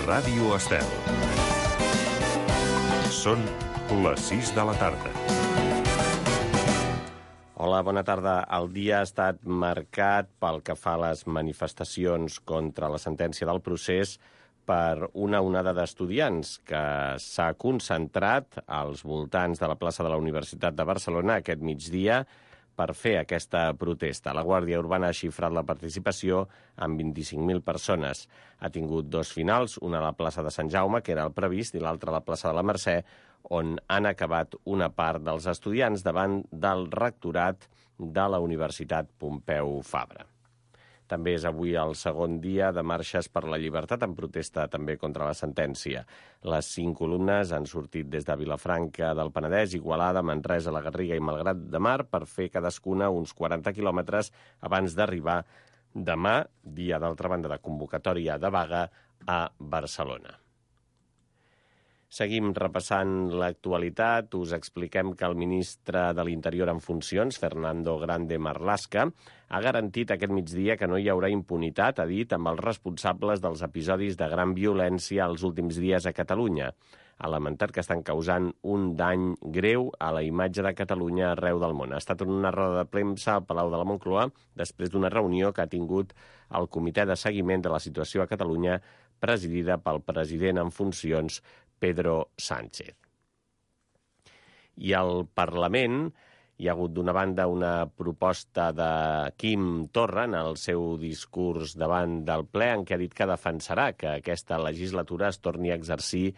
Ràdio Estel. Són les 6 de la tarda. Hola, bona tarda. El dia ha estat marcat pel que fa a les manifestacions contra la sentència del procés per una onada d'estudiants que s'ha concentrat als voltants de la plaça de la Universitat de Barcelona aquest migdia per fer aquesta protesta. La Guàrdia Urbana ha xifrat la participació amb 25.000 persones. Ha tingut dos finals, una a la plaça de Sant Jaume, que era el previst, i l'altra a la plaça de la Mercè, on han acabat una part dels estudiants davant del rectorat de la Universitat Pompeu Fabra. També és avui el segon dia de marxes per la llibertat en protesta també contra la sentència. Les 5 columnes han sortit des de Vilafranca del Penedès, Igualada, Manresa, la Garriga i Malgrat de Mar per fer cadascuna uns 40 quilòmetres abans d'arribar demà, dia d'altra banda de convocatòria de vaga, a Barcelona. Seguim repassant l'actualitat. Us expliquem que el ministre de l'Interior en funcions, Fernando Grande Marlaska, ha garantit aquest migdia que no hi haurà impunitat, ha dit, amb els responsables dels episodis de gran violència els últims dies a Catalunya. Ha lamentat que estan causant un dany greu a la imatge de Catalunya arreu del món. Ha estat en una roda de premsa al Palau de la Moncloa després d'una reunió que ha tingut el Comitè de Seguiment de la Situació a Catalunya, presidida pel president en funcions, Pedro Sánchez. I al Parlament hi ha hagut d'una banda una proposta de Quim Torra en el seu discurs davant del ple en què ha dit que defensarà que aquesta legislatura es torni a exercir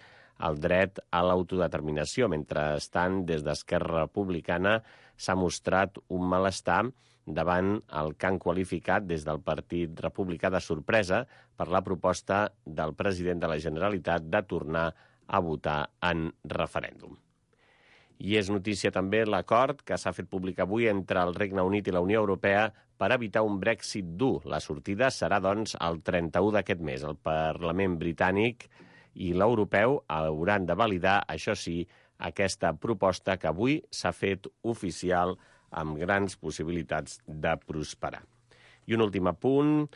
el dret a l'autodeterminació. Mentrestant, des d'Esquerra Republicana s'ha mostrat un malestar davant el que han qualificat des del Partit Republicà de sorpresa per la proposta del president de la Generalitat de tornar a votar en referèndum. I és notícia també l'acord que s'ha fet públic avui entre el Regne Unit i la Unió Europea per evitar un Brexit dur. La sortida serà, doncs, el 31 d'aquest mes. El Parlament britànic i l'europeu hauran de validar, això sí, aquesta proposta que avui s'ha fet oficial amb grans possibilitats de prosperar. I un últim apunt,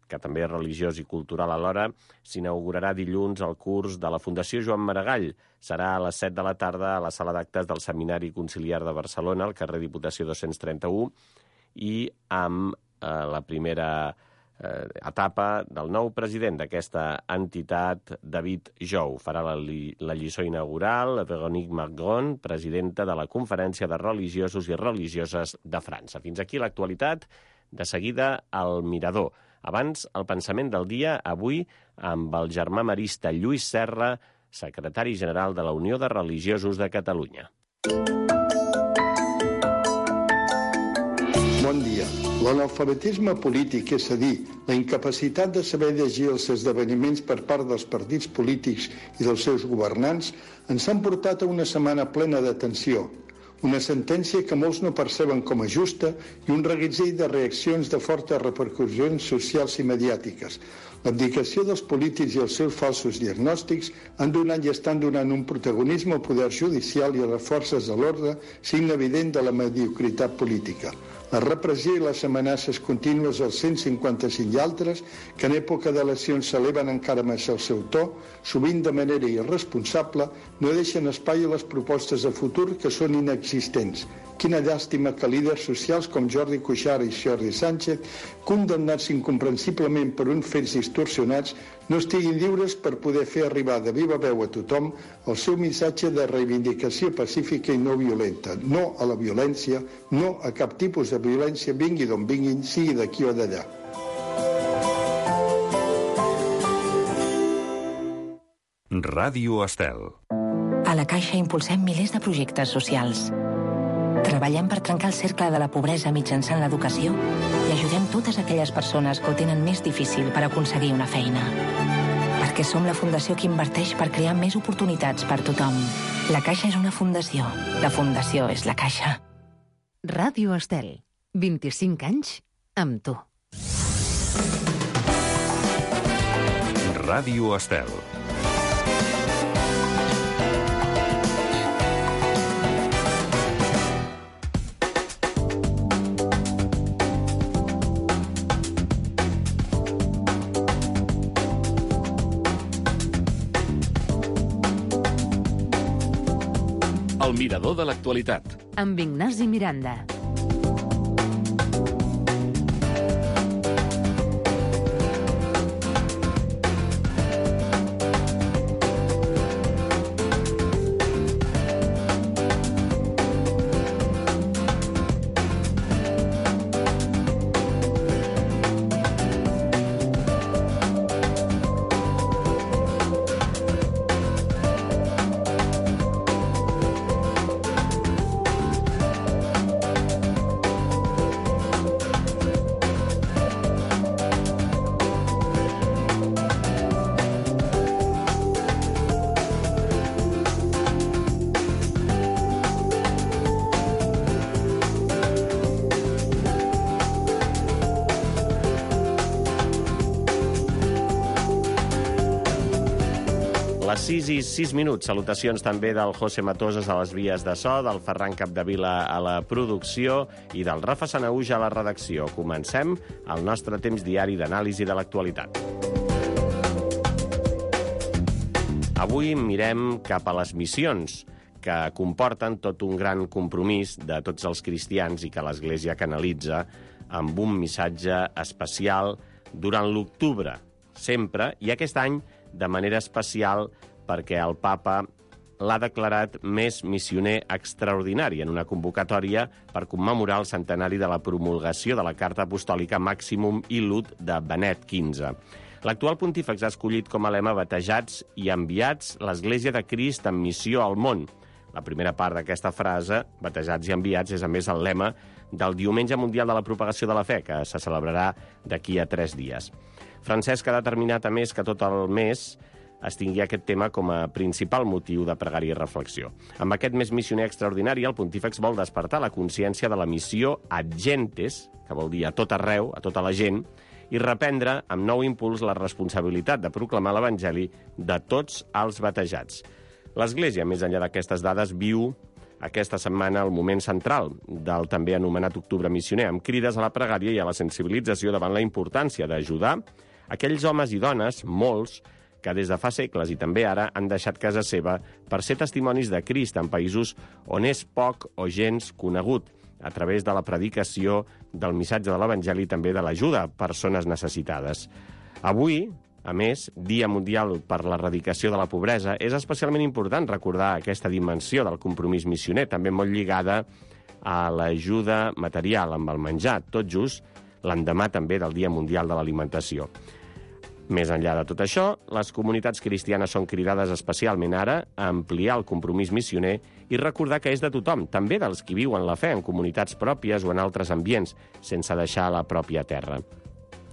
que també és religiós i cultural alhora, s'inaugurarà dilluns el curs de la Fundació Joan Maragall. Serà a les 7 de la tarda a la sala d'actes del Seminari Conciliar de Barcelona, al carrer Diputació 231, i amb la primera etapa del nou president d'aquesta entitat, David Jou. Farà la lliçó inaugural Véronique Margron, presidenta de la Conferència de Religiosos i Religioses de França. Fins aquí l'actualitat. De seguida, el Mirador. Abans, el pensament del dia, avui, amb el germà marista Lluís Serra, secretari general de la Unió de Religiosos de Catalunya. Bon dia. L'analfabetisme polític, és a dir, la incapacitat de saber llegir els esdeveniments per part dels partits polítics i dels seus governants, ens han portat a una setmana plena de tensió. Una sentència que molts no perceben com a justa i un reguitzell de reaccions de fortes repercussions socials i mediàtiques. L'abdicació dels polítics i els seus falsos diagnòstics han donat i estan donant un protagonisme al poder judicial i a les forces de l'ordre, signe evident de la mediocritat política. La repressió i les amenaces contínues als 155 i altres, que en època d'eleccions s'eleven encara més el seu to, sovint de manera irresponsable, no deixen espai a les propostes de futur que són inexistents. Quina llàstima que líders socials com Jordi Cuixart i Jordi Sánchez, condemnats incomprensiblement per uns fets distorsionats, no estiguin lliures per poder fer arribar de viva veu a tothom el seu missatge de reivindicació pacífica i no violenta. No a la violència, no a cap tipus de violència, vingui d'on vinguin, sigui d'aquí o d'allà. Ràdio Estel. A la Caixa impulsem milers de projectes socials. Treballem per trencar el cercle de la pobresa mitjançant l'educació i ajudem totes aquelles persones que ho tenen més difícil per aconseguir una feina. Perquè som la fundació que inverteix per crear més oportunitats per tothom. La Caixa és una fundació. La fundació és la Caixa. Ràdio Estel. 25 anys amb tu. Ràdio Estel. El mirador de l'actualitat. Amb Ignasi Miranda. Les 6 i 6 minuts. Salutacions també del José Matosas a les vies de so, del Ferran Capdevila a la producció i del Rafa Sanahuja a la redacció. Comencem el nostre temps diari d'anàlisi de l'actualitat. Avui mirem cap a les missions, que comporten tot un gran compromís de tots els cristians i que l'Església canalitza amb un missatge especial durant l'octubre, sempre, i aquest any de manera especial perquè el papa l'ha declarat més missioner extraordinari en una convocatòria per commemorar el centenari de la promulgació de la Carta Apostòlica Maximum Illud de Benet XV. L'actual pontífex ha escollit com a lema batejats i enviats l'Església de Crist en missió al món. La primera part d'aquesta frase, batejats i enviats, és a més el lema del Diumenge Mundial de la Propagació de la Fe, que se celebrarà d'aquí a 3 dies. Francesc ha determinat, a més, que tot el mes es tingui aquest tema com a principal motiu de pregària i reflexió. Amb aquest mes missioner extraordinari, el pontífex vol despertar la consciència de la missió ad gentes, que vol dir a tot arreu, a tota la gent, i reprendre amb nou impuls la responsabilitat de proclamar l'Evangeli de tots els batejats. L'Església, més enllà d'aquestes dades, viu aquesta setmana el moment central del també anomenat Octubre Missioner, amb crides a la pregària i a la sensibilització davant la importància d'ajudar aquells homes i dones, molts, que des de fa segles i també ara han deixat casa seva per ser testimonis de Crist en països on és poc o gens conegut, a través de la predicació del missatge de l'Evangeli i també de l'ajuda a persones necessitades. Avui, a més, Dia Mundial per l'Erradicació de la Pobresa, és especialment important recordar aquesta dimensió del compromís missioner, també molt lligada a l'ajuda material amb el menjar, tot just l'endemà també del Dia Mundial de l'Alimentació. Més enllà de tot això, les comunitats cristianes són cridades especialment ara a ampliar el compromís missioner i recordar que és de tothom, també dels qui viuen la fe en comunitats pròpies o en altres ambients, sense deixar la pròpia terra.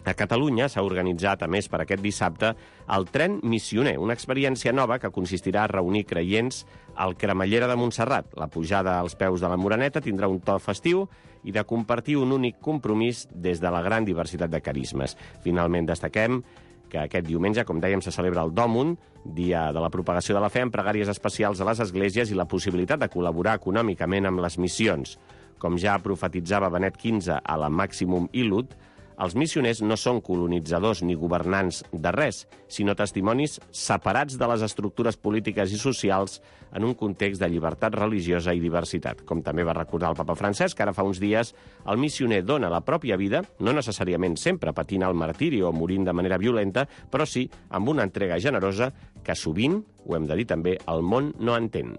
A Catalunya s'ha organitzat, a més, per aquest dissabte, el Tren Missioner, una experiència nova que consistirà a reunir creients al Cremallera de Montserrat. La pujada als peus de la Moreneta tindrà un to festiu i de compartir un únic compromís des de la gran diversitat de carismes. Finalment, destaquem que aquest diumenge, com dèiem, se celebra el Dòmun, Dia de la Propagació de la Fe, amb pregàries especials a les esglésies i la possibilitat de col·laborar econòmicament amb les missions. Com ja profetitzava Benet XV a la Maximum Illud, els missioners no són colonitzadors ni governants de res, sinó testimonis separats de les estructures polítiques i socials en un context de llibertat religiosa i diversitat. Com també va recordar el papa Francesc, ara fa uns dies, el missioner dona la pròpia vida, no necessàriament sempre patint el martiri o morint de manera violenta, però sí amb una entrega generosa que sovint, ho hem de dir també, el món no entén.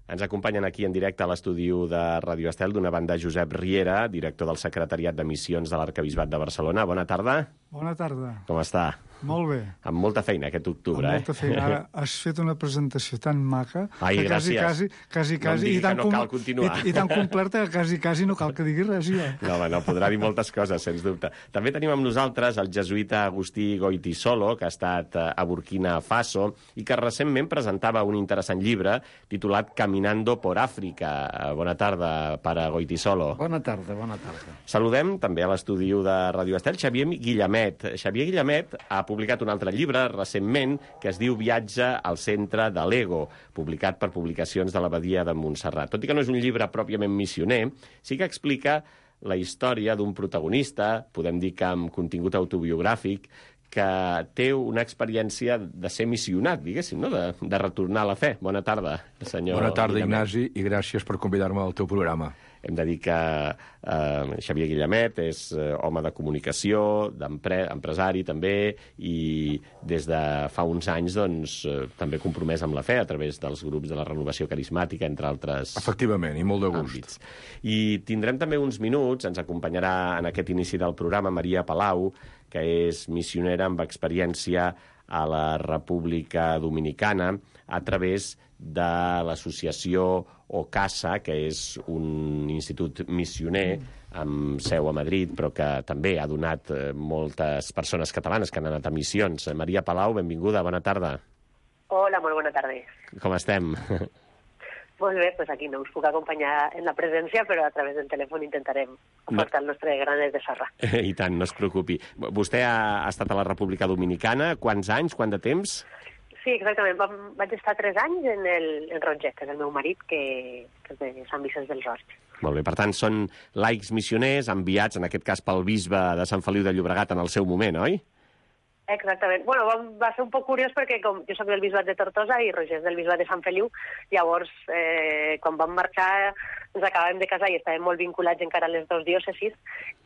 Ens acompanyen aquí en directe a l'estudi de Ràdio Estel, d'una banda Josep Riera, director del Secretariat de Missions de l'Arquebisbat de Barcelona. Bona tarda. Bona tarda. Com està? Molt bé. Amb molta feina aquest octubre, Amb molta feina. Ara has fet una presentació tan maca Ai, que gràcies. quasi, No em digui i tan que no cal continuar. I tan completa que quasi no cal que digui res, jo. No, home, no, podrà dir moltes coses, sens dubte. També tenim amb nosaltres el jesuïta Agustí Goytisolo, que ha estat a Burkina Faso i que recentment presentava un interessant llibre titulat Caminando por África. Bona tarda, pare Goytisolo. Bona tarda, bona tarda. Saludem també a l'estudi de Ràdio Estel Xavier Guillemet. Xavier Guillemet ha publicat un altre llibre recentment que es diu Viatge al centre de l'ego, publicat per Publicacions de l'Abadia de Montserrat. Tot i que no és un llibre pròpiament missioner, sí que explica la història d'un protagonista, podem dir que amb contingut autobiogràfic, que té una experiència de ser missionat, diguéssim, no? De retornar a la fe. Bona tarda, senyor. Bona tarda, Guillemet. Ignasi, i gràcies per convidar-me al teu programa. Hem de dir que Xavier Guillemet és home de comunicació, empresari també, i des de fa uns anys doncs, també compromès amb la fe a través dels grups de la renovació carismàtica, entre altres Efectivament, i molt de gust. àmbits. I tindrem també uns minuts, ens acompanyarà en aquest inici del programa Maria Palau, que és missionera amb experiència a la República Dominicana a través de l'associació OCASA, que és un institut missioner amb seu a Madrid, però que també ha donat moltes persones catalanes que han anat a missions. Maria Palau, benvinguda, bona tarda. Hola, molt bona tarda. Com estem? Molt bé, doncs aquí no us puc acompanyar en la presència, però a través del telèfon intentarem portar el nostre granet de sorra. I tant, no es preocupi. Vostè ha estat a la República Dominicana. Quants anys, quant de temps? Sí, exactament. Vaig estar 3 anys en Roger, que és el meu marit, que és de Sant Vicenç dels Horts. Molt bé, per tant, són laics missioners enviats, en aquest cas, pel bisbe de Sant Feliu de Llobregat en el seu moment, oi? Exactament. Bueno, va ser un poc curiós perquè com jo soc del bisbat de Tortosa i Roger és del bisbat de Sant Feliu, llavors quan vam marxar ens acabàvem de casar i estàvem molt vinculats encara a les dues diòcesis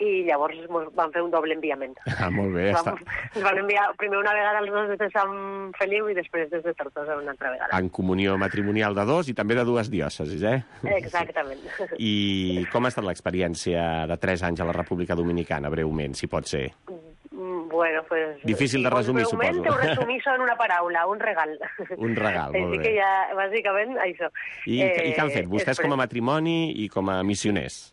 i llavors vam fer un doble enviament. Molt bé. Ens van enviar primer una vegada els dos des de Sant Feliu i després des de Tortosa una altra vegada. En comunió matrimonial de dos i també de dues diòcesis, eh? Exactament. I com ha estat l'experiència de 3 anys a la República Dominicana, breument, si pot ser? Bueno, pues... Difícil de resumir, suposo. Ho resumís en una paraula, un regal. Un regal, molt bé. Així que ja, bàsicament, això. I què han fet vostès com a matrimoni i com a missioners?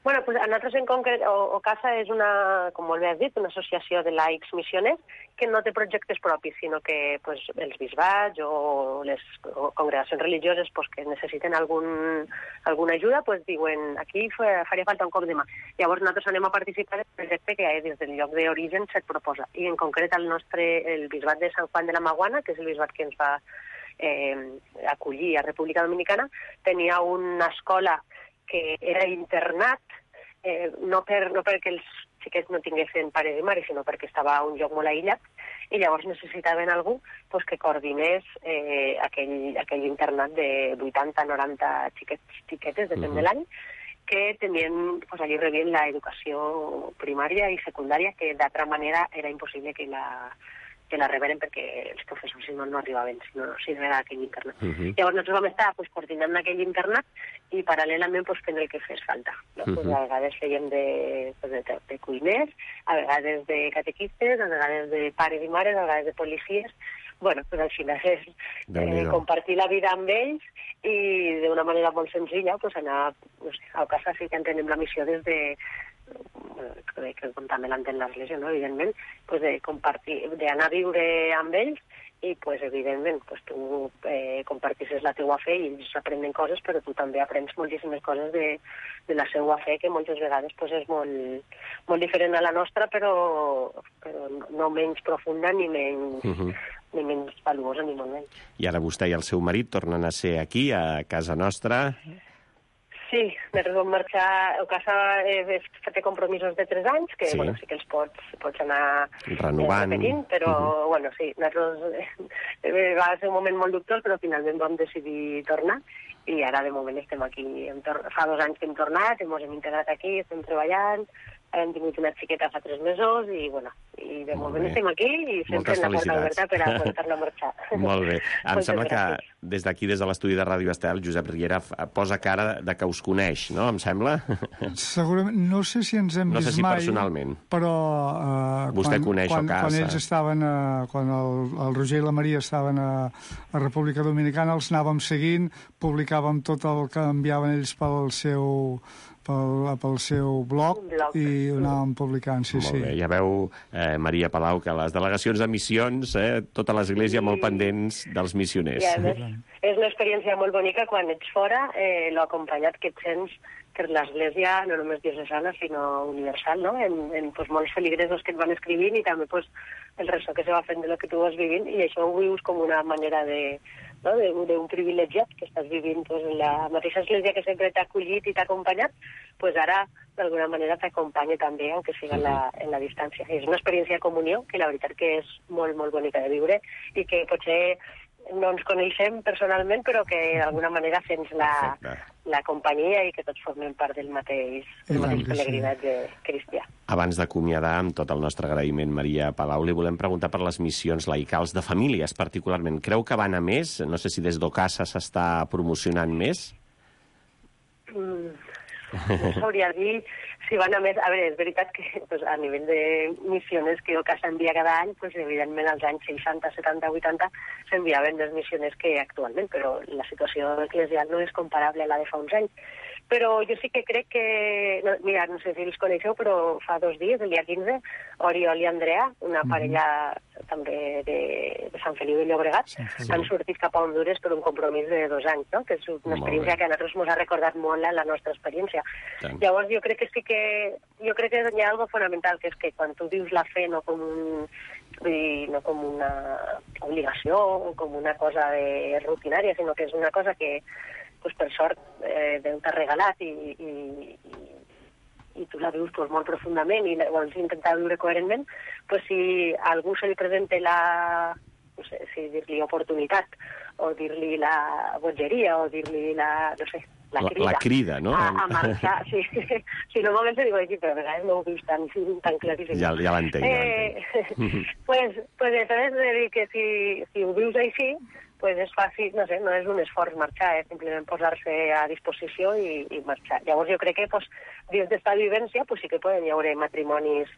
Bueno, pues a nosaltres en concret, OCASA és una, com molt bé has dit, una associació de laics missioners que no té projectes propis, sinó que pues, els bisbats o les congregacions religioses pues, que necessiten alguna ajuda, pues, diuen aquí faria falta un cop de mà. Llavors nosaltres anem a participar del projecte que des del lloc d'origen se't proposa. I en concret el bisbat de Sant Juan de la Maguana, que és el bisbat que ens va acollir a República Dominicana, tenia una escola que era internat, no perquè els xiquets no tinguessin pares i mares, sinó perquè estava a un lloc molt aïllat, i llavors necessitaven algú pues, que coordinés aquell internat de 80-90 xiquetes, depèn de l'any, que tenien, pues, allí rebien l'educació primària i secundària, que d'altra manera era impossible que la reberen perquè els professors no arribaven, si no era aquell internat. Llavors nosaltres vam estar pues, coordinant aquell internat i paral·lelament pues, fent el que fes falta. No? Pues, a vegades fèiem de cuiners, a vegades de catequistes, a vegades de pares i mares, a vegades de policies. Bueno, pues, al final és compartir la vida amb ells i d'una manera molt senzilla pues, anar, no sé, a casa sí que entenem la missió des de que com també l'entén l'Església, no? Evidentment, pues de compartir, d'anar a viure amb ells i, pues, evidentment, pues, tu compartisses la teua fe i ells aprenen coses, però tu també aprens moltíssimes coses de la seva fe, que moltes vegades pues, és molt diferent a la nostra, però no menys profunda ni menys valuosa, ni molt menys. I ara vostè i el seu marit tornen a ser aquí, a casa nostra. Sí, nosaltres vam marxar, a casa té compromisos de 3 anys, que sí, bueno, sí que els pots anar renovant, repetint, però bueno, sí, nosaltres va ser un moment molt dubtós, però finalment vam decidir tornar i ara de moment estem aquí. Fa 2 anys que hem tornat, ens hem integrat aquí, estem treballant, hem tingut una xiqueta fa 3 mesos i, bueno, i de moment estem aquí i sempre la porta oberta per a tornar a marxar. Molt bé. Em sembla que des d'aquí, des de l'estudi de Ràdio Estel, Josep Riera posa cara de que us coneix, no? Em sembla? Segurament, no sé si ens hem vist mai, personalment. Però vostè coneix OCASA. Quan ells estaven, quan el Roger i la Maria estaven a República Dominicana, els anàvem seguint, publicàvem tot el que enviaven ells pel seu blog i ho anàvem publicant, sí. Molt bé, ja veu, Maria Palau, que les delegacions de missions, tota l'Església molt pendents dels missioners. I a més, és una experiència molt bonica quan ets fora, l'acompanyat que et sents per l'Església, no només diocesana, sinó universal, no? En pues, molts feligresos que et van escrivint i també pues, el ressò que se va fent de lo que tu vas vivint, i això ho vius com una manera de no? d'un privilegiat que estàs vivint doncs, en la mateixa església que sempre t'ha acollit i t'ha acompanyat, pues ara d'alguna manera t'acompanya també, aunque siga en la distància. És una experiència de comunió que la veritat que és molt, molt bonica de viure i que potser no ens coneixem personalment, però que d'alguna manera sents la companyia i que tots formem part del mateix pelegrinatge cristià. Abans d'acomiadar, amb tot el nostre agraïment, Maria Palau, li volem preguntar per les missions laicals de famílies, particularment. Creu que van a més? No sé si des d'Ocasa s'està promocionant més? No sabria dir si van a més... A veure, és veritat que pues, a nivell de missiones que Ocasa envia cada any, pues, evidentment als anys 60, 70, 80 s'enviaven més missiones que actualment, però la situació eclesial no és comparable a la de fa uns anys. Però jo sí que crec que... No, mira, no sé si els coneixeu, però fa 2 dies, el dia 15, Oriol i Andrea, una parella també de Sant Feliu de Llobregat, han sortit cap a Hondures per un compromís de 2 anys, no? Que és una experiència que a nosaltres ens ha recordat molt la nostra experiència. Llavors jo crec que sí que... Jo crec que hi ha algo fonamental, que és que quan tu vius la fe no com una obligació o com una cosa rutinària, sinó que és una cosa que pues, per sort Déu t'ha regalat i tu la vius pues, molt profundament i vols intentar viure coherentment, pues, si a algú se li presenta no sé si dir-li oportunitat o dir-li la bogeria o dir-li la crida, no? A marxar, sí. Si normalment se diu així, però a vegades no ho vius tan claríssim. Ja l'entenc. Pues això és de dir que si ho vius així, pues és fàcil, no sé, no és un esforç marxar, és simplement posar-se a disposició i marxar. Llavors jo crec que pues, dins d'esta vivència pues, sí que poden hi haver matrimonis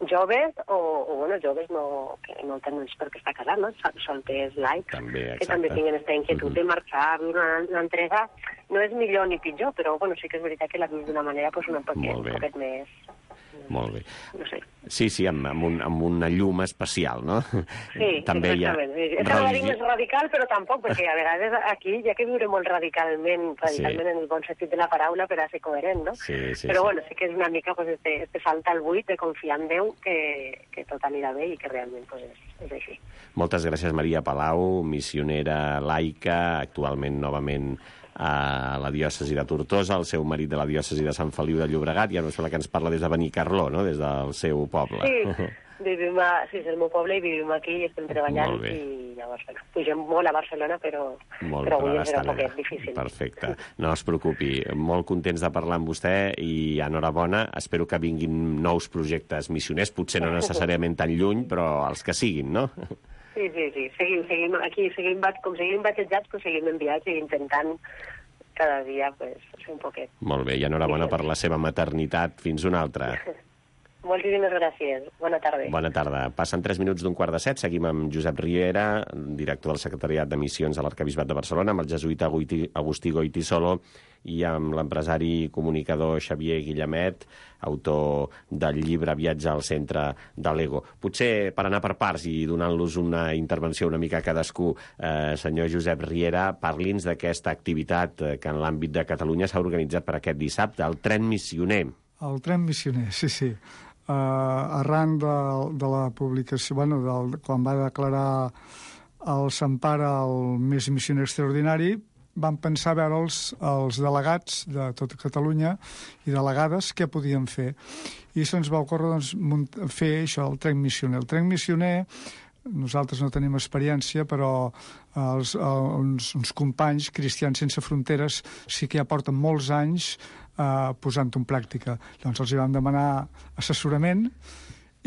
joves o bueno, joves que no tenen per què estar casats, no? Solters laics, que també tinguin aquesta inquietud de marxar, viure una entrega. No és millor ni pitjor, però bueno, sí que és veritat que la vius d'una manera pues, un poquet més... Molt bé. No sé. Sí, amb una llum especial, no? Sí, també exactament. És una més radical, però tampoc, perquè a vegades aquí hi ha que viure molt radicalment en el bon sentit de la paraula per a ser coherent, no? Però bueno, sí que és una mica pues, este salt al buit de confiar en Déu que tot anirà bé i que realment pues, és així. Moltes gràcies, Maria Palau, missionera laica, actualment novament a la diòcesi de Tortosa, el seu marit de la diòcesi de Sant Feliu de Llobregat, i ara sembla que ens parla des de Benicarló, no?, des del seu poble. Sí, és el meu poble i vivim aquí i estem treballant i llavors, bueno, pugem molt a Barcelona, però avui serà un poquet difícil. Perfecte, no es preocupi. Molt contents de parlar amb vostè i enhorabona. Espero que vinguin nous projectes missioners, potser no necessàriament tan lluny, però els que siguin, no? Sí. Seguim aquí, com seguim batejats, pues seguim enviats i intentant cada dia pues, fer un poquet. Molt bé, i enhorabona per la seva maternitat. Fins una altra. Moltíssimes gràcies. Bona tarda. Bona tarda. Passen 3 minuts d'15:45. Seguim amb Josep Riera, director del Secretariat de Missions a l'Arquebisbat de Barcelona, amb el jesuïta Agustí Goitisolo i amb l'empresari comunicador Xavier Guillemet, autor del llibre Viatge al centre de l'ego. Potser per anar per parts i donant-los una intervenció una mica a cadascú, senyor Josep Riera, parli'ns d'aquesta activitat que en l'àmbit de Catalunya s'ha organitzat per aquest dissabte, el Tren Missioner. El Tren Missioner, sí. Arran de la publicació, quan va declarar el Sant Pare el mes missioner extraordinari, vam pensar a veure els delegats de tota Catalunya i delegades què podien fer. I se'ns va ocórrer fer això, el Tren Missioner. El Tren Missioner, nosaltres no tenim experiència, però uns companys cristians sense fronteres sí que ja porten molts anys posant-ho en pràctica. Llavors els hi vam demanar assessorament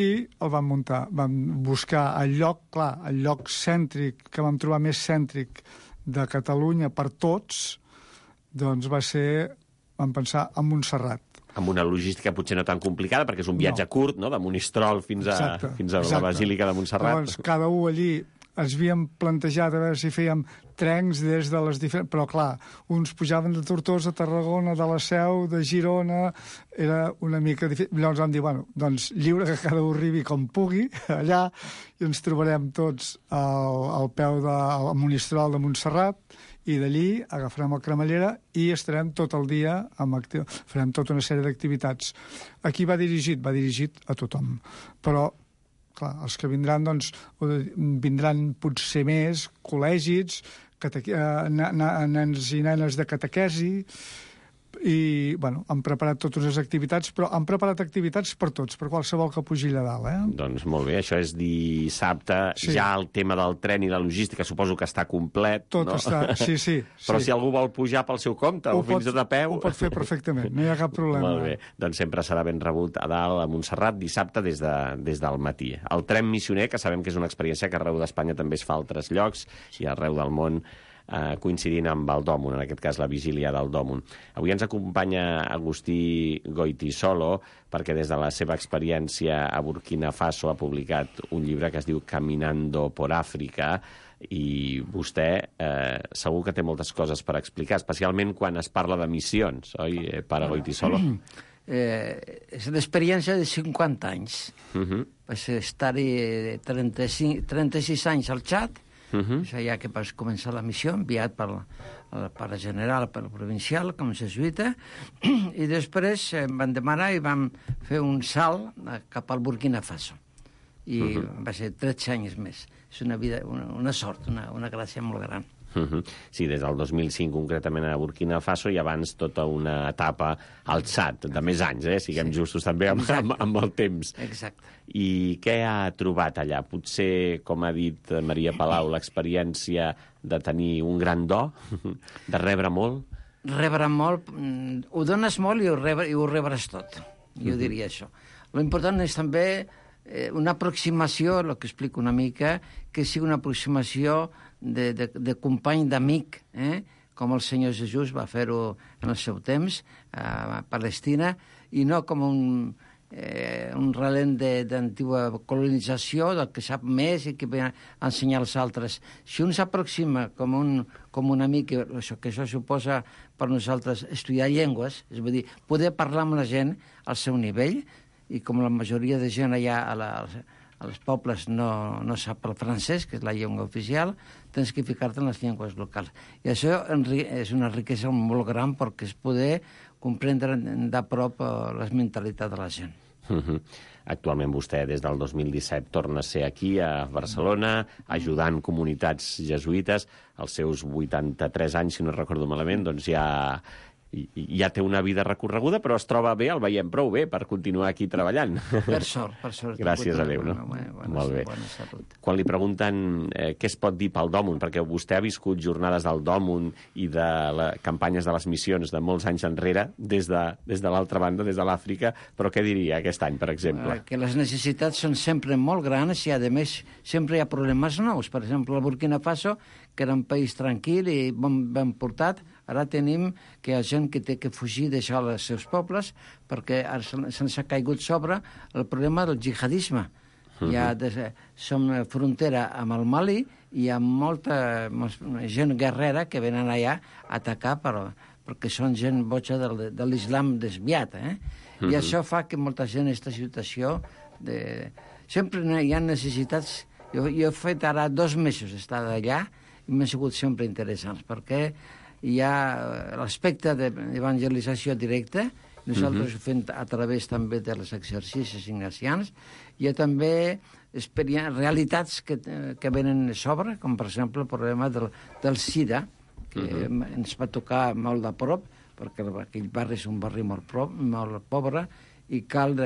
i el vam muntar. Vam buscar el lloc cèntric, que vam trobar més cèntric de Catalunya per tots, doncs vam pensar en Montserrat. Amb una logística potser no tan complicada, perquè és un viatge curt, no?, de Monistrol fins a la Basílica de Montserrat. Llavors, cada un allí ens havíem plantejat a veure si fèiem trens des de les diferents... Però, clar, uns pujaven de Tortosa, Tarragona, de la Seu, de Girona... Era una mica difícil. Llavors vam dir, doncs lliure que cada un arribi com pugui allà i ens trobarem tots al peu del Monistrol de Montserrat i d'allí agafarem el cremallera i estarem tot el dia farem tota una sèrie d'activitats. Aquí va dirigit a tothom. Però clar, els que vindran, doncs, vindran potser més col·legis nens i nenes de catequesi, i, bueno, han preparat totes les activitats, però han preparat activitats per tots, per qualsevol que pugi allà dalt, Doncs molt bé, això és dissabte, Sí. ja el tema del tren i la logística suposo que està complet, Tot no? està... Sí. Però si algú vol pujar pel seu compte o fins de peu... Ho pot fer perfectament, no hi ha cap problema. Molt bé, doncs sempre serà ben rebut a dalt, a Montserrat, dissabte des del matí. El tren missioner, que sabem que és una experiència que arreu d'Espanya també es fa a altres llocs i arreu del món, coincidint amb el Dòmun, en aquest cas la vigília del Dòmun. Avui ens acompanya Agustí Goitisolo, perquè des de la seva experiència a Burkina Faso ha publicat un llibre que es diu Caminando por África, i vostè segur que té moltes coses per explicar, especialment quan es parla de missions, oi, Pare Goitisolo? És l'experiència de 50 anys. Vaig estar-hi 36 anys al Txad, és allà que vaig començar la missió, enviat per la pare general, per la provincial, com a jesuïta, i després em van demanar i vam fer un salt cap al Burkina Faso. I va ser 13 anys més. És una sort, una gràcia molt gran. Sí, des del 2005 concretament a Burkina Faso i abans tota una etapa al Txad, de més anys, siguem justos també amb el temps. Exacte. I què ha trobat allà? Potser, com ha dit Maria Palau, l'experiència de tenir un gran do, de rebre molt? Rebre molt, ho dones molt i ho rebràs tot. Jo diria això. L'important és també una aproximació, el que explico una mica, que sigui una aproximació de company, d'amic, com el Senyor Jesús va fer-ho en el seu temps a Palestina, i no com un relent d'antiga colonització, del que sap més i que ve a ensenyar als altres. Si un s'aproxima com un amic, que això suposa per nosaltres estudiar llengües, és a dir, poder parlar amb la gent al seu nivell, i com la majoria de gent allà als pobles no sap el francès, que és la llengua oficial, tens que ficar-te en les llengües locals. I això és una riquesa molt gran perquè és poder comprendre de prop les mentalitats de la gent. Actualment vostè, des del 2017, torna a ser aquí, a Barcelona, ajudant comunitats jesuïtes. Als seus 83 anys, si no recordo malament, doncs ja té una vida recorreguda, però es troba bé, el veiem prou bé per continuar aquí treballant. Per sort. Gràcies a Déu, no? Molt bé. Quan li pregunten què es pot dir pel Dòmun, perquè vostè ha viscut jornades del Dòmun i de campanyes de les missions de molts anys enrere, des de l'altra banda, des de l'Àfrica, però què diria aquest any, per exemple? Que les necessitats són sempre molt grans i, a més, sempre hi ha problemes nous. Per exemple, el Burkina Faso, que era un país tranquil i ben portat, ara tenim que hi ha gent que té que fugir, deixar els seus pobles, perquè se'ns ha caigut sobre el problema del jihadisme. Som frontera amb el Mali i hi ha molta gent guerrera que venen allà a atacar perquè són gent boja de l'islam desviat. I això fa que molta gent en aquesta situació... Sempre hi ha necessitats... Jo he fet ara 2 mesos d'estar allà i m'han sigut sempre interessants, perquè hi ha l'aspecte d'evangelització directa, nosaltres ho fem a través també dels exercicis ignacians, hi ha també realitats que venen a sobre, com per exemple el problema del SIDA, que ens va tocar molt de prop, perquè aquell barri és un barri molt pobre, i cal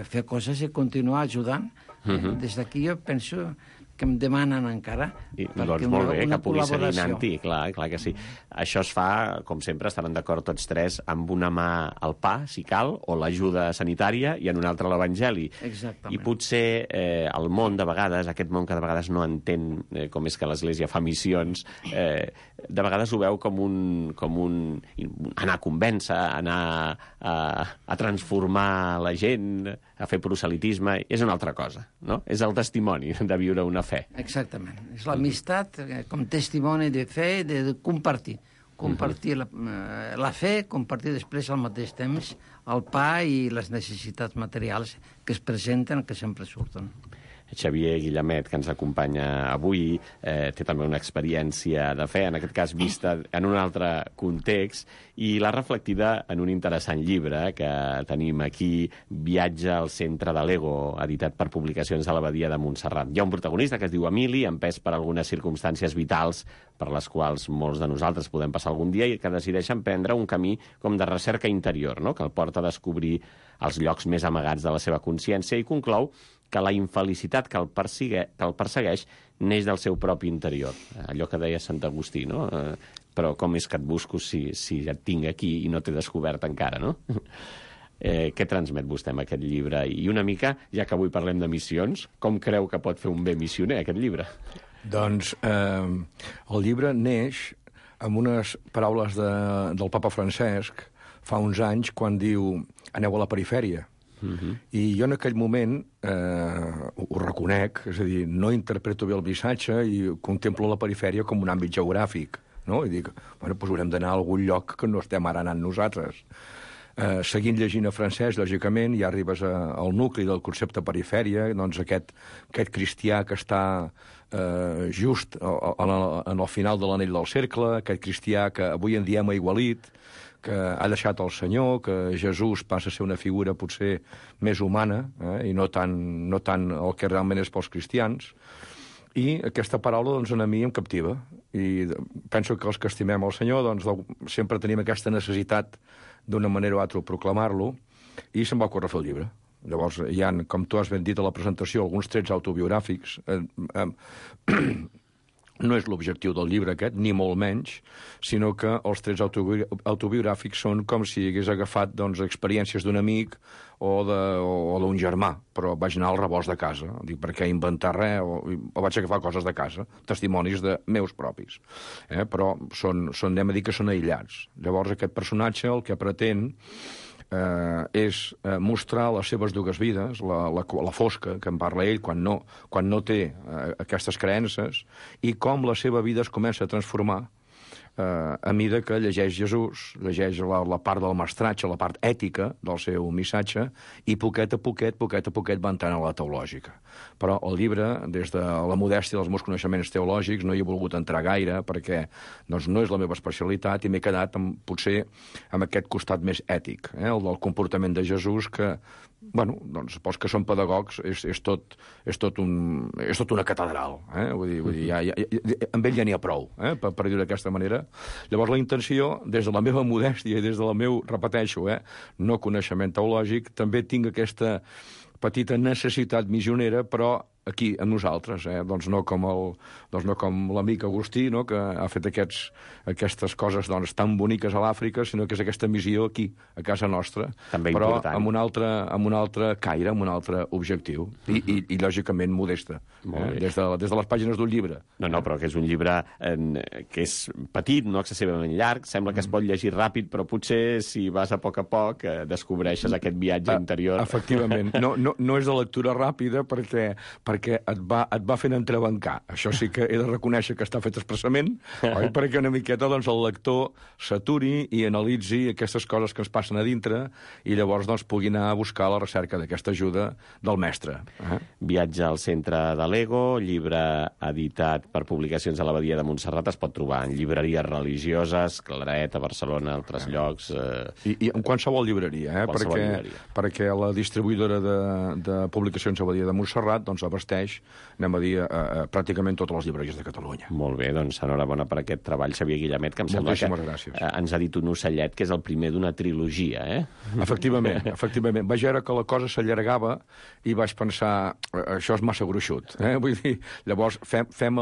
fer coses i continuar ajudant. Des d'aquí jo penso que em demanen encara. Doncs molt bé, que pugui seguir anant-hi, clar que sí. Això es fa, com sempre, estaran d'acord tots tres, amb una mà al pa, si cal, o l'ajuda sanitària, i en una altra l'evangeli. Exactament. I potser el món, de vegades, aquest món que de vegades no entén com és que l'Església fa missions, de vegades ho veu com un anar a convèncer, anar a transformar la gent, a fer proselitisme, és una altra cosa, no? És el testimoni de viure una fe. Exactament. És l'amistat com testimoni de fe, de compartir. Compartir la fe, compartir després al mateix temps el pa i les necessitats materials que es presenten, que sempre surten. Xavier Guillemet, que ens acompanya avui, té també una experiència de fe, en aquest cas vista en un altre context, i l'ha reflectida en un interessant llibre que tenim aquí, Viatge al centre de l'ego, editat per Publicacions de l'Abadia de Montserrat. Hi ha un protagonista que es diu Emili, empès per algunes circumstàncies vitals per les quals molts de nosaltres podem passar algun dia i que decideixen prendre un camí com de recerca interior, no? Que el porta a descobrir els llocs més amagats de la seva consciència i conclou que la infelicitat que el persegueix neix del seu propi interior. Allò que deia Sant Agustí, no? Però com és que et busco si ja et tinc aquí i no t'he descobert encara, no? Què transmet vostè amb aquest llibre? I una mica, ja que avui parlem de missions, com creu que pot fer un bé missioner, aquest llibre? Doncs el llibre neix amb unes paraules del papa Francesc fa uns anys quan diu aneu a la perifèria. I jo en aquell moment ho reconec, és a dir, no interpreto bé el missatge i contemplo la perifèria com un àmbit geogràfic, no? I dic, bueno, doncs haurem d'anar a algun lloc que no estem ara anant nosaltres. Seguint llegint a francès, lògicament, ja arribes al nucli del concepte perifèria, doncs aquest cristià que està just en el final de l'anell del cercle, aquest cristià que avui en diem aigualit, que ha deixat el Senyor, que Jesús passa a ser una figura potser més humana, i no tant el que realment és pels cristians. I aquesta paraula, doncs, a mi em captiva. I penso que els que estimem el Senyor, doncs, sempre tenim aquesta necessitat d'una manera o altra proclamar-lo, i se'm va ocórrer fer el llibre. Llavors, hi ha, com tu has ben dit a la presentació, alguns trets autobiogràfics. No és l'objectiu del llibre aquest, ni molt menys, sinó que els trets autobiogràfics són com si hagués agafat doncs, experiències d'un amic o d'un germà, però vaig anar al rebost de casa. Dic, per què inventar res? O vaig agafar coses de casa, testimonis de meus propis. Però anem a dir que són aïllats. Llavors aquest personatge el que pretén és mostrar les seves dues vides, la fosca que en parla ell quan no té aquestes creences, i com la seva vida es comença a transformar a mida que llegeix Jesús, llegeix la part del mestratge, la part ètica del seu missatge, i poquet a poquet va entrant a la teològica. Però el llibre, des de la modèstia dels meus coneixements teològics, no hi he volgut entrar gaire, perquè doncs, no és la meva especialitat, i m'he quedat potser amb aquest costat més ètic, el del comportament de Jesús, que, bueno, doncs, pels que són pedagogs, és tot una catedral. Vull dir, amb ell ja n'hi ha prou, per dir-ho d'aquesta manera. Llavors, la intenció, des de la meva modèstia i des del meu, repeteixo, no coneixement teològic, també tinc aquesta petita necessitat missionera, però aquí, amb nosaltres, doncs no com l'amic Agustí, no? Que ha fet aquestes coses doncs, tan boniques a l'Àfrica, sinó que és aquesta missió aquí, a casa nostra, també però important. amb un altre caire, amb un altre objectiu, i lògicament modesta, des de les pàgines d'un llibre. No, però que és un llibre que és petit, no excessivament llarg, sembla que es pot llegir ràpid, però potser si vas a poc descobreixes aquest viatge interior. Efectivament, no és de lectura ràpida perquè et va fent entrebancar. Això sí que he de reconèixer que està fet expressament, oi? Perquè una miqueta doncs, el lector s'aturi i analitzi aquestes coses que ens passen a dintre i llavors doncs, pugui anar a buscar la recerca d'aquesta ajuda del mestre. Viatge al centre de l'ego, llibre editat per publicacions a l'Abadia de Montserrat, es pot trobar en llibreries religioses, Claret, a Barcelona, altres llocs... I en qualsevol llibreria, perquè la distribuïdora de publicacions a l'Abadia de Montserrat doncs, abasteix, anem a dir, pràcticament totes les llibreries de Catalunya. Molt bé, doncs enhorabona per aquest treball, Xavier Guillemet, que em sembla que ens ha dit un ocellet que és el primer d'una trilogia, Efectivament. Vaig veure que la cosa s'allargava i vaig pensar, això és massa gruixut. Vull dir, llavors fem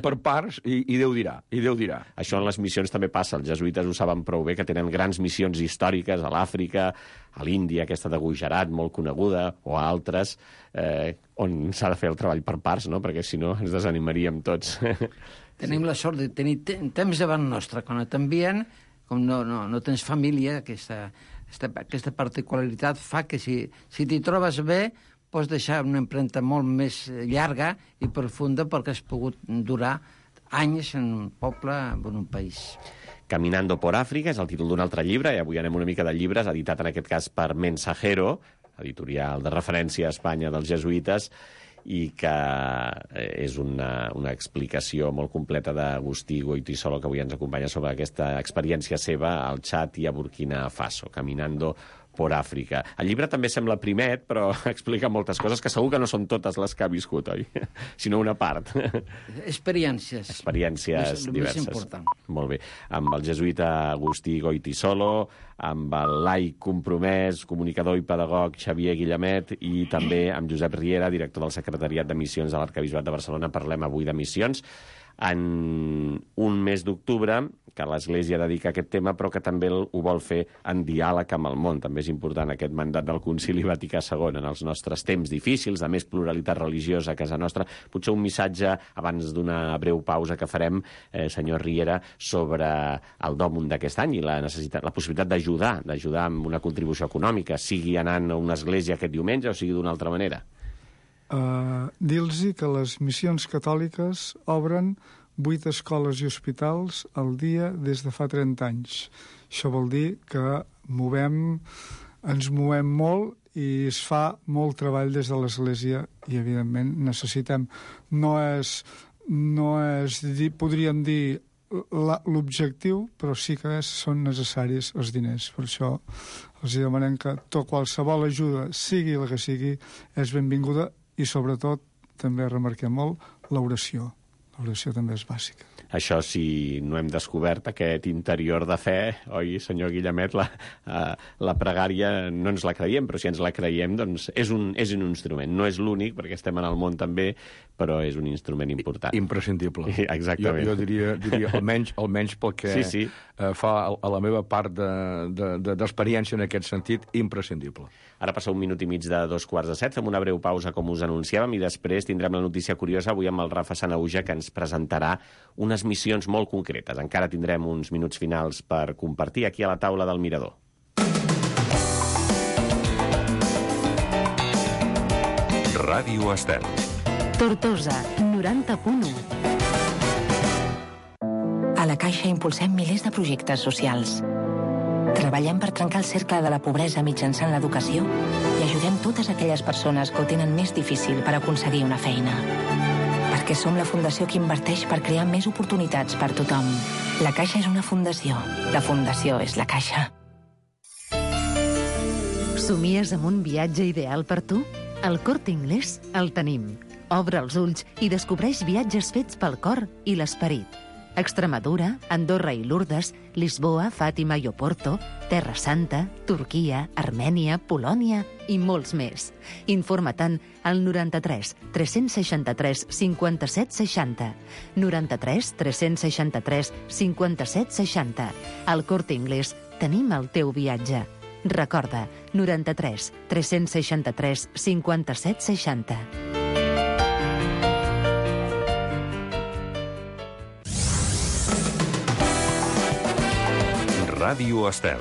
per parts i Déu dirà. Això en les missions també passa, els jesuïtes ho saben prou bé, que tenen grans missions històriques a l'Àfrica, a l'Índia, aquesta de Gujarat, molt coneguda, o a altres, on s'ha de fer el treball per parts, no? Perquè si no ens desanimaríem tots. Tenim la sort de tenir temps davant nostre. Quan t'envien, com no tens família, aquesta particularitat fa que si t'hi trobes bé, pots deixar una empremta molt més llarga i profunda perquè has pogut durar anys en un poble, en un país. Caminando por Àfrica és el títol d'un altre llibre, i avui anem una mica de llibres, editat en aquest cas per Mensajero, editorial de referència a Espanya dels jesuïtes, i que és una explicació molt completa d'Agustí Goytisolo, que avui ens acompanya sobre aquesta experiència seva al Txad i a Burkina Faso. Caminando por Àfrica. El llibre també sembla primet, però explica moltes coses que segur que no són totes les que ha viscut, oi? Sinó una part. Experiències. Experiències diverses. Més important. Molt bé. Amb el jesuïta Agustí Goytisolo, amb el laic compromès, comunicador i pedagog Xavier Guillemet i també amb Josep Riera, director del Secretariat de Missions de l'Arquebisbat de Barcelona. Parlem avui de missions en un mes d'octubre que l'Església dedica a aquest tema, però que també ho vol fer en diàleg amb el món. També és important aquest mandat del Concili Vaticà II en els nostres temps difícils, de més pluralitat religiosa a casa nostra. Potser un missatge, abans d'una breu pausa que farem, senyor Riera, sobre el dòmum d'aquest any i la possibilitat d'ajudar amb una contribució econòmica, sigui anant a una església aquest diumenge o sigui d'una altra manera. Dir-los que les missions catòliques obren 8 escoles i hospitals al dia des de fa 30 anys. Això vol dir que ens movem molt i es fa molt treball des de l'Església i, evidentment, necessitem. No és podríem dir, l'objectiu, però sí que són necessaris els diners. Per això els demanem que qualsevol ajuda, sigui la que sigui, és benvinguda i, sobretot, també remarquem molt, l'oració. L'oració també és bàsica. Això, si no hem descobert aquest interior de fe, oi, senyor Guillemet, la pregària no ens la creiem, però si ens la creiem, doncs és un instrument. No és l'únic, perquè estem en el món també, però és un instrument important. Imprescindible. Exactament. Jo diria almenys pel que fa a la meva part d'experiència en aquest sentit, imprescindible. Ara passa 1 minut i mig de 2:45, fem una breu pausa, com us anunciàvem, i després tindrem la notícia curiosa avui amb el Rafa Sanahuja, que ens presentarà unes missions molt concretes. Encara tindrem uns minuts finals per compartir aquí a la taula del Mirador. Ràdio Estel. Tortosa, 90.1. A la Caixa impulsem milers de projectes socials. Treballem per trencar el cercle de la pobresa mitjançant l'educació i ajudem totes aquelles persones que ho tenen més difícil per aconseguir una feina. Perquè som la fundació que inverteix per crear més oportunitats per tothom. La Caixa és una fundació. La fundació és la Caixa. Somies amb un viatge ideal per tu? Al Corte Inglés el tenim. Obre els ulls i descobreix viatges fets pel cor i l'esperit. Extremadura, Andorra i Lourdes, Lisboa, Fàtima i Oporto, Terra Santa, Turquia, Armènia, Polònia i molts més. Informa-te'n al 93 363 57 60. 93 363 57 60. Al Corte Inglés tenim el teu viatge. Recorda, 93 363 57 60. Ràdio Estel.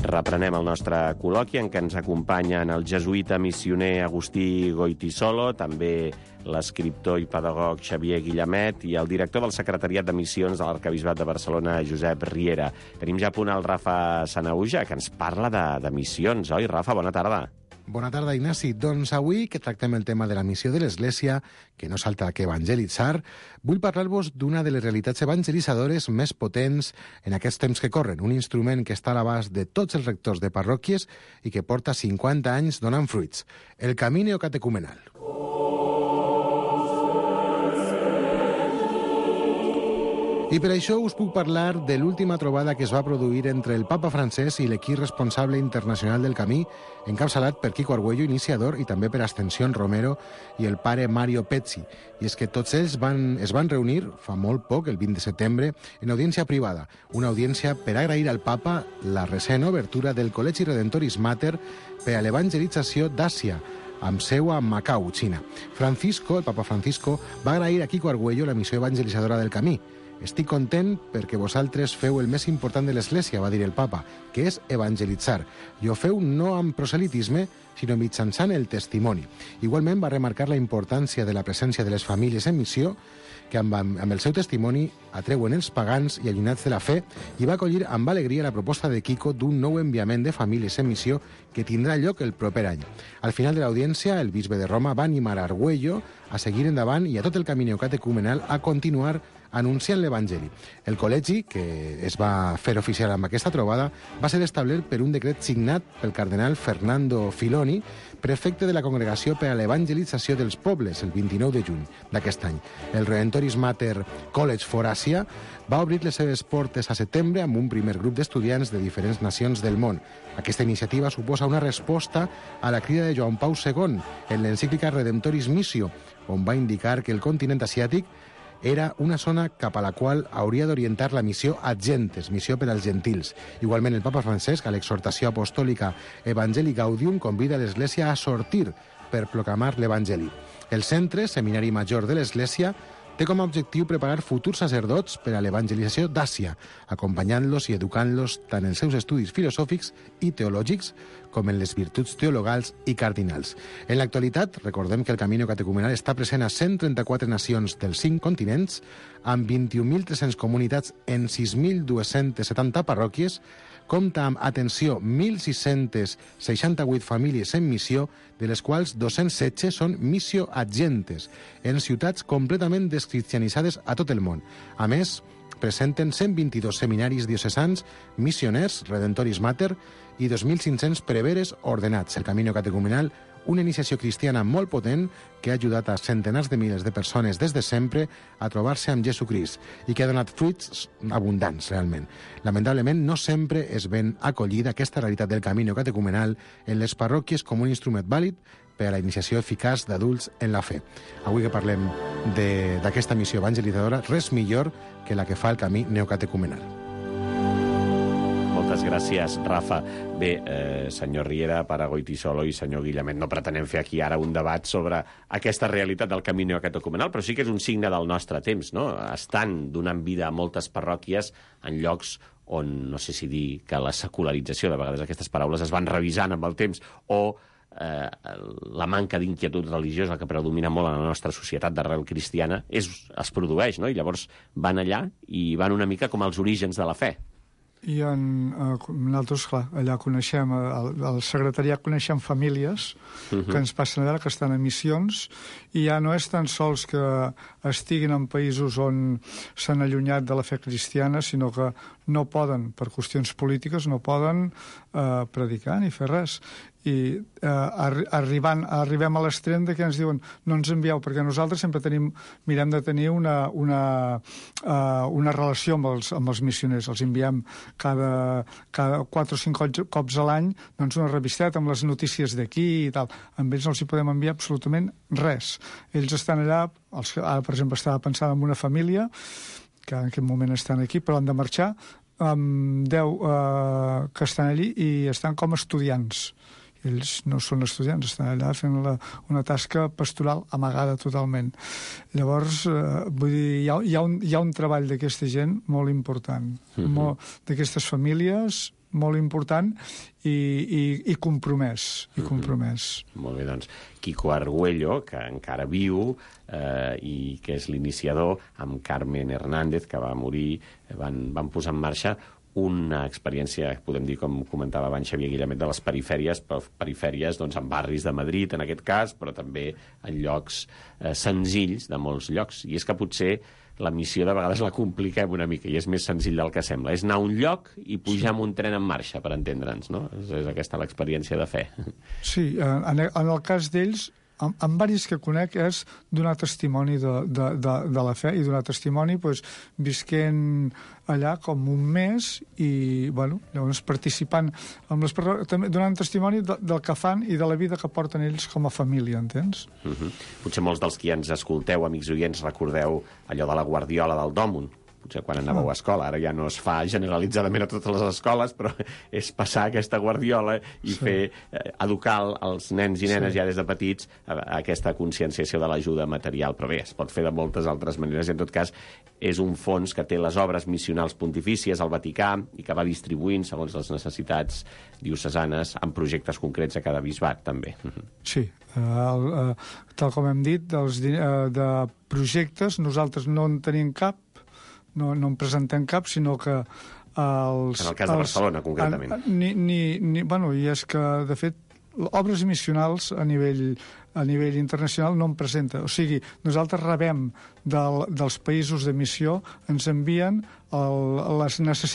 Reprenem el nostre col·loqui en què ens acompanyen el jesuïta missioner Agustí Goytisolo, també l'escriptor i pedagog Xavier Guillemet i el director del Secretariat de Missions de l'Arquebisbat de Barcelona, Josep Riera. Tenim ja a punt el Rafa Sanahuja, que ens parla de missions, oi? Rafa, bona tarda. Bona tarda, Ignasi. Doncs avui, que tractem el tema de la missió de l'Església, que no salta que evangelitzar, vull parlar-vos d'una de les realitats evangelitzadores més potents en aquests temps que corren, un instrument que està a l'abast de tots els rectors de parròquies i que porta 50 anys donant fruits, el camí neocatecumenal. I per això us puc parlar de l'última trobada que es va produir entre el papa francès i l'equip responsable internacional del camí, encapçalat per Quico Argüello, iniciador, i també per Ascensión Romero i el pare Mario Pezzi. I és que tots ells es van reunir fa molt poc, el 20 de setembre, en audiència privada, una audiència per agrair al papa la recent obertura del Col·legi Redentoris Mater per a l'evangelització d'Àsia, amb seu a Macau, Xina. El papa Francisco, va agrair a Quico Argüello la missió evangelitzadora del camí. «Estic content perquè vosaltres feu el més important de l'Església», va dir el papa, que és evangelitzar. I ho feu no amb proselitisme, sinó mitjançant el testimoni. Igualment va remarcar la importància de la presència de les famílies en missió, que amb el seu testimoni atreuen els pagans i allunyats de la fe, i va acollir amb alegria la proposta de Quico d'un nou enviament de famílies en missió que tindrà lloc el proper any. Al final de l'audiència, el bisbe de Roma va animar a Argüello a seguir endavant i a tot el camí catecumenal a continuar anunciant l'Evangeli. El col·legi, que es va fer oficial amb aquesta trobada, va ser establert per un decret signat pel cardenal Fernando Filoni, prefecte de la Congregació per a l'Evangelització dels Pobles, el 29 de juny d'aquest any. El Redentoris Mater College for Asia va obrir les seves portes a setembre amb un primer grup d'estudiants de diferents nacions del món. Aquesta iniciativa suposa una resposta a la crida de Joan Pau II en l'encíclica Redemptoris Missio, on va indicar que el continent asiàtic era una zona cap a la qual hauria d'orientar la missió ad gentes, missió per als gentils. Igualment, el papa Francesc, a l'exhortació apostòlica Evangelii Gaudium, convida l'Església a sortir per proclamar l'Evangeli. El Centre Seminari Major de l'Església té com a objectiu preparar futurs sacerdots per a l'evangelització d'Àsia, acompanyant-los i educant-los tant en els seus estudis filosòfics i teològics com en les virtuts teologals i cardinals. En l'actualitat, recordem que el Camino Catecumenal està present a 134 nacions dels 5 continents, amb 21.300 comunitats en 6.270 parròquies, compta amb, atenció, 1.668 famílies en missió, de les quals 216 són missió ad gentes, en ciutats completament descristianitzades a tot el món. A més, presenten 122 seminaris diocesans, missioners, Redentoris Mater, i 2.500 preveres ordenats. El Camino Catecumenal, una iniciació cristiana molt potent que ha ajudat a centenars de milers de persones des de sempre a trobar-se amb Jesucrist i que ha donat fruits abundants, realment. Lamentablement, no sempre és ben acollida aquesta realitat del Camino Catecumenal en les parròquies com un instrument vàlid per a la iniciació eficaç d'adults en la fe. Avui que parlem d'aquesta missió evangelitzadora, res millor que la que fa el camí neocatecumenal. Moltes gràcies, Rafa. Bé, senyor Riera, pare Goytisolo i senyor Guillemet, no pretenem fer aquí ara un debat sobre aquesta realitat del camí neocatecumenal, però sí que és un signe del nostre temps, no? Estan donant vida a moltes parròquies en llocs on, no sé si dir que la secularització, de vegades aquestes paraules es van revisant amb el temps, o la manca d'inquietud religiosa que predomina molt en la nostra societat d'arrel cristiana es produeix, no? I llavors van allà i van una mica com als orígens de la fe. I nosaltres, clar, allà coneixem, al secretariat coneixem famílies que ens passen a veure, que estan en missions, i ja no és tan sols que estiguin en països on s'han allunyat de la fe cristiana, sinó que no poden, per qüestions polítiques, no poden predicar ni fer res. I arribem a l'extrem de que ens diuen no ens envieu, perquè nosaltres sempre mirem de tenir una relació amb els missioners. Els enviem cada 4 o 5 cops a l'any, doncs una revisteta amb les notícies d'aquí i tal. Amb ells no els hi podem enviar absolutament res. Ells estan allà, ara per exemple estava pensant en una família que en aquest moment estan aquí però han de marxar, amb 10 que estan allí i estan com estudiants. Ells no són estudiants, estan allà fent una tasca pastoral amagada totalment. Llavors, vull dir, hi ha un treball d'aquesta gent molt important, d'aquestes famílies molt important i compromès. Molt bé, doncs, Quico Argüello, que encara viu i que és l'iniciador, amb Carmen Hernández, que va morir, van posar en marxa una experiència, podem dir, com comentava abans Xavier Guillemet, de les perifèries, doncs, en barris de Madrid, en aquest cas, però també en llocs senzills de molts llocs. I és que potser la missió de vegades la compliquem una mica i és més senzill del que sembla. És anar a un lloc i pujar amb un tren en marxa, per entendre'ns, no? És aquesta l'experiència de fe. Sí, en el cas d'ells, en varis que conec, és donar testimoni de la fe i donar testimoni visquent allà com un mes i, llavors participant amb les persones, també donant testimoni del que fan i de la vida que porten ells com a família, entens? Potser molts dels que ens escolteu, amics oients, recordeu allò de la Guardiola del Dòmun, potser quan anàveu a escola, ara ja no es fa generalitzadament a totes les escoles, però és passar aquesta guardiola i fer educar els nens i nenes ja des de petits a aquesta conscienciació de l'ajuda material. Però bé, es pot fer de moltes altres maneres i en tot cas és un fons que té les obres missionals pontifícies al Vaticà i que va distribuint segons les necessitats diocesanes en projectes concrets a cada bisbat, també. Sí, tal com hem dit, de projectes nosaltres no en tenim cap, no en presentem cap, sinó que en el cas de Barcelona, concretament. Bueno, i és que, de fet, obres missionals a nivell internacional no en presenta. O sigui, nosaltres rebem dels països de missió, ens envien les necessitats